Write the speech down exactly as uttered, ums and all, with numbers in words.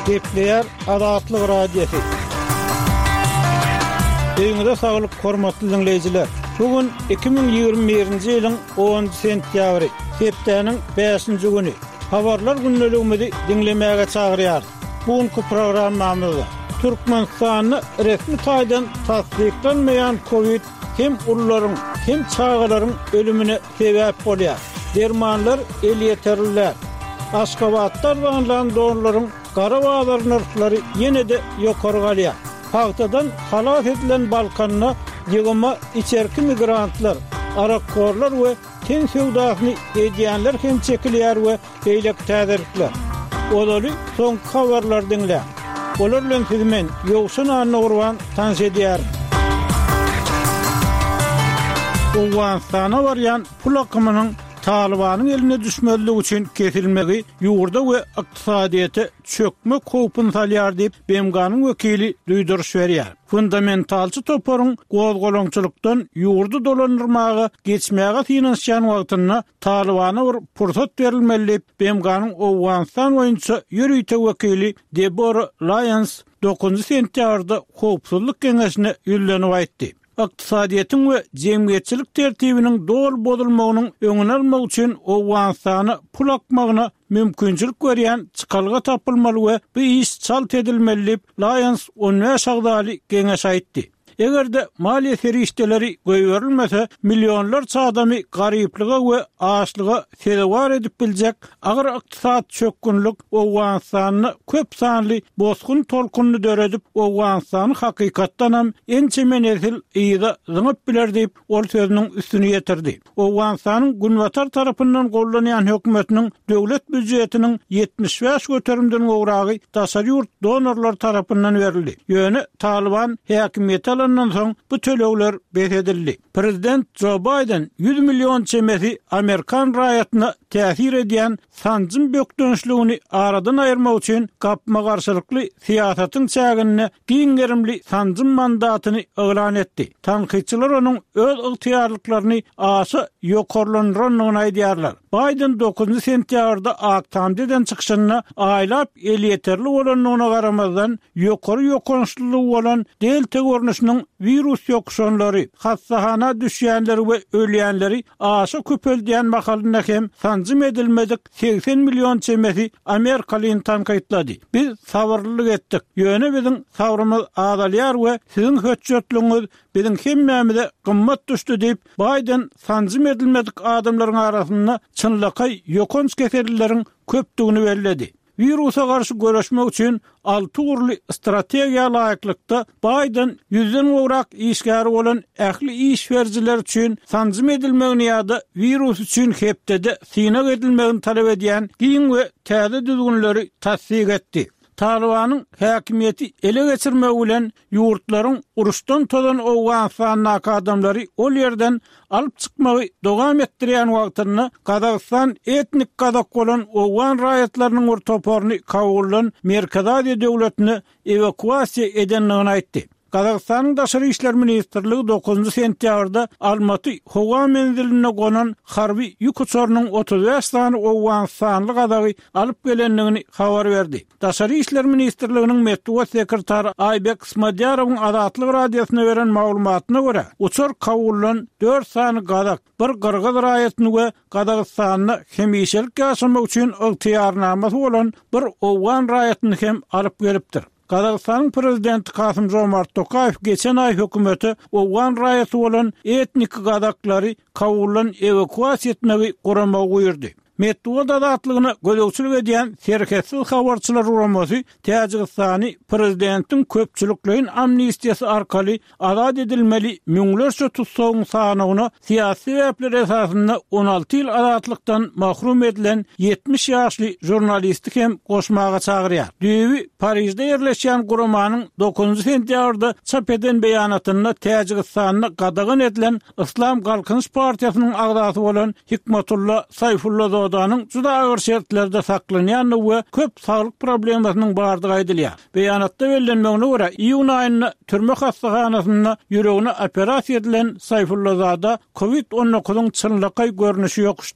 Gepleýär Azatlyk Radiosy. Öýüňize saglyk hormatly dinleýjiler. Bugün iki müň ýigrimi birinji ýylyň onunjy sentýabry, hepdäniň bäşinji güni. Habarlar gündeligimizi diňlemäge çagyrýar. Bugünkü programmamyzda Türkmenistanda resmi taýdan tassyklanmaýan COVID hem ulularyň hem çagalaryň ölümine sebäp bolýar. Dermanlar elýeterliler. Aşgabatda arzanlan donlaryň gara bazar nyrhlary ýene-de ýokary galýar. Pagtadan halas edilen Balkanda ýygyma içerki migrantlar, arakkorlar we ten söwdasyny edýänler hem çekilýär we beýleki täzelikler. Olaly soňky habarlar diňle. Olar bilen sizi men Ýowşan Annagurban tanyş edýärin. Owganystana barýan pul akymynyň Talibanyň eline düşmezligi üçin kesilmegi ýurda we ykdysadyýete çökmek howpuny salýar diýip B M G-nyň wekili duýduryş berýär. Fundamentalçy toparyň gozgalaňçylykdan ýurdy dolandyrmaga geçmäge synanyşýan wagtynda Talibana bir pursat berilmeli diýip B M G-nyň Owganystan boýunça ýörite wekili Deborah Lyons dokuzynjy sentýabrda howpsuzlyk geňeşine ýüzlenip aýtdy. Ykdysadyýetiň we jemgyýetçilik tertibiniň doly bozulmagynyň öňüni almak üçin Owganystana pul akmagyna mümkinçilik berýän çykalga tapylmaly we bu iş çalt edilmeli diýip Lyons on bäş agzaly geňeş aýtdy. Eger-de maliýe serişdeleri goýberilmese, milyonlarça adamy garyplyga we açlyga sezewar edip biljek agyr ykdysat çökgünlik Owganystanda köp sanly bosgun tolkunyny döredip, Owganystany hakykatdan hem ençeme nesil yza zyňyp biler diýip, ol sözüniň üstüni ýetirdi. Owganystanyň günbatar tarapyndan gollanýan hökümetiniň döwlet býujetiniň ýetmiş bäş göterimden gowragy daşary ýurt donorlar tarapyndan berildi. Ýöne Taliban häkimiýeti alandan soň bu tölegler bes edildi. Prezident Joe Biden ýüz million çemesi Amerikan raýatyna täsir edýän sanjym bökdençligini aradan aýyrmak üçin gapma-garşylykly syýasatyň çäginde giň gerimli sanjym mandatyny yglan etdi. Tankytçylar onuň öz ygtyýarlyklaryny aşa ýokarlandyrandygyny aýdýarlar. Biden dokuzynjy sentýabrda Ak Tamda eden çykyşynda aýlap elýeterli bolandygyna garamazdan ýokary ýokançlylygy bolan delta görnüşiniň wirus ýokuşanlary, hassahana düşýänleri we ölýänleri aşa köpeldýän mahalynda hem sanjym edilmedik seksen million çemesi Amerikalyny tankytlady. Biz sabyrlylyk etdik. Ýöne biziň sabrymyz azalýar we siziň hötjetligiňiz biziň hemmämize gymmat düşdi diýip Biden sanjym edilmedik adamlaryň arasynda çynlakaý ýokanç kesellileriň köpdügini belledi. Wirusa garşy göreşmek üçin alty ugurly strategiýa laýyklykda Biden ýüzden gowrak işgäri bolan ähli iş bericiler üçin sanjym edilmegini ýa-da wirus üçin hepdede synag edilmegini talap edýän giň we täze düzgünleri tassyk etdi. Talibanyň häkimiýeti ele geçirmegi bilen ýurtlaryň uruşdan tozan Owganystandaky adamlary ol ýerden alyp çykmagy dowam etdirýän wagtynda Gazagystan etnik gazak bolan Owgan raýatlarynyň bir toparyny Kabuldan Merkezi Aziýa döwletine ewakuasiýa edendigini aýtdy. Gazagystanyň Daşary İşler Ministrligi dokuzynjy sentýabrda Almaty howa menzilinde gonan harby ýük uçarynyň otuz bäş sany Owganystanly gazagy alyp gelendigini habar berdi. Daşary İşler Ministrliginiň metbugat sekretary Aybek Smadýarowyň Azatlyk radiosyna beren maglumatyna görä, uçar Kabuldan dört sany gazak, bir gyrgyz raýatyny we Gazagystanda hemişelik ýaşamak üçin ygtyýarnamasy bolan bir Owgan raýatyny hem alyp gelipdir. Gazagystanyň prezidenti Kasym Jomart Tokaýew geçen aý hökümeti Owgan raýaty bolan etnik gazaklary Kabuldan ewakuasiýa etmegi guramagy buýurdy. Metbugat azatlygyna gözegçilik edýän Serhetsiz habarçylar guramasy Täjigistany prezidentiň köpçülikleýin amnistiýasy arkaly azat edilmeli müňlerçe tutsagyň sanyna syýasy sebäpler esasynda on alty ýyl azatlykdan mahrum edilen ýetmiş ýaşly žurnalisti hem goşmaga çagyrýar. Düýbi Parijde ýerleşýän guramanyň dokuzynjy sentýabrda çap eden beýanatynda Täjigistanda gadagan edilen Islam Galkynyş Partiýasynyň agzasy bolan Hikmetulla Saýfullazodanyň juda agyr şertlerde saklanýandygy we köp saglyk problemasynyň bardygy aýdylýar. Beýanatda bellenmegine görä, iýun aýynda türme hastahanasynda ýüregine operasiýa edilen Saýfullazada COVID on dokuzyň çynlakaý görnüşi ýokuşdy.